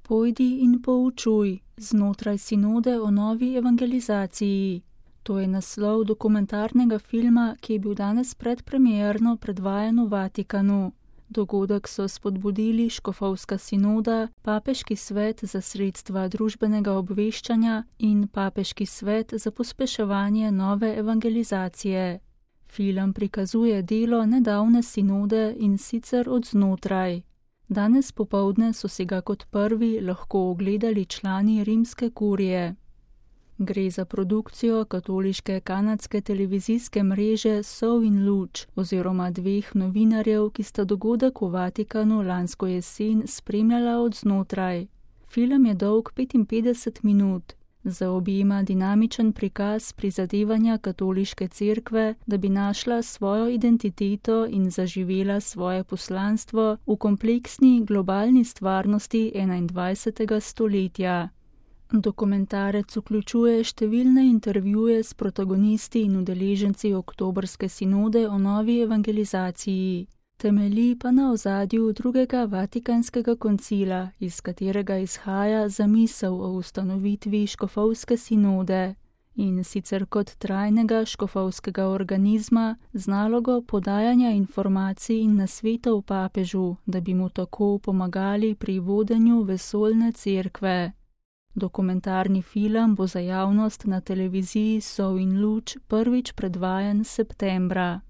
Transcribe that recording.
Pojdi in poučuj znotraj sinode o novi evangelizaciji. To je naslov dokumentarnega filma, ki je bil danes predpremierno predvajan v Vatikanu. Dogodek so spodbudili Škofovska sinoda, Papeški svet za sredstva družbenega obveščanja in Papeški svet za pospeševanje nove evangelizacije. Film prikazuje delo nedavne sinode in sicer od znotraj. Danes popoldne so si ga kot prvi lahko ogledali člani rimske kurije. Gre za produkcijo katoliške kanadske televizijske mreže Sol in luč oziroma dveh novinarjev, ki sta dogodek v Vatikanu lansko jesen spremljala od znotraj. Film je dolg 55 minut. Zaobjema dinamičen prikaz prizadevanja katoliške cerkve, da bi našla svojo identiteto in zaživela svoje poslanstvo v kompleksni globalni stvarnosti 21. stoletja. Dokumentarec vključuje številne intervjuje s protagonisti in udeleženci oktobrske sinode o novi evangelizaciji. Temelji pa na ozadju drugega Vatikanskega koncila, iz katerega izhaja zamisel o ustanovitvi Škofovske sinode, in sicer kot trajnega škofovskega organizma z nalogo podajanja informacij in nasvetov papežu, da bi mu tako pomagali pri vodenju vesoljne cerkve. Dokumentarni film bo za javnost na televiziji Sol in luč prvič predvajan septembra.